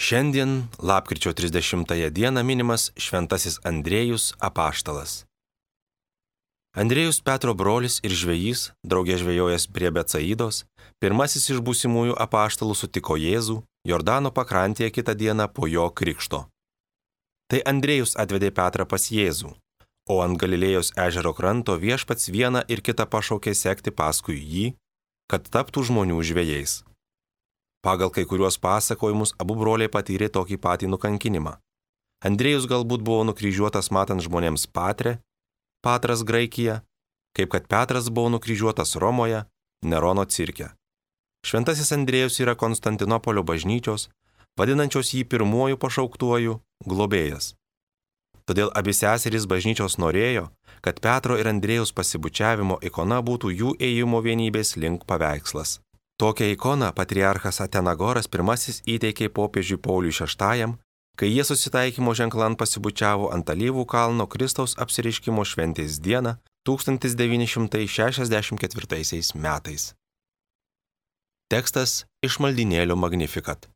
Šiandien, lapkričio 30 dieną minimas Šventasis Andriejus apaštalas. Andriejus Petro brolis ir žvejys, draugė žvejojęs prie Becaidos, pirmasis iš būsimųjų apaštalų sutiko Jėzų Jordano pakrantėje kitą dieną po jo krikšto. Tai Andriejus atvedė Petrą pas Jėzų, o ant Galilėjos ežero kranto viešpats vieną ir kitą pašaukė sekti paskui jį, kad taptų žmonių žvejais. Pagal kai kuriuos pasakojimus abu broliai patyrė tokį patį nukankinimą. Andriejus galbūt buvo nukryžiuotas matant žmonėms Patrę, Patras Graikija, kaip kad Petras buvo nukryžiuotas Romoje, Nerono cirke. Šventasis Andriejus yra Konstantinopolio bažnyčios, vadinančios jį pirmuoju pašauktuoju, globėjas. Todėl abi seserys bažnyčios norėjo, kad Petro ir Andriejaus pasibučiavimo ikona būtų jų ėjimo vienybės link paveikslas. Tokią ikoną patriarchas Atenagoras I įteikė popiežiui Pauliui VI, kai jie susitaikymo ženklan pasibučiavo ant Alyvų kalno Kristaus apsireiškimo šventės dieną 1964 metais. Tekstas iš maldynėlio Magnificat.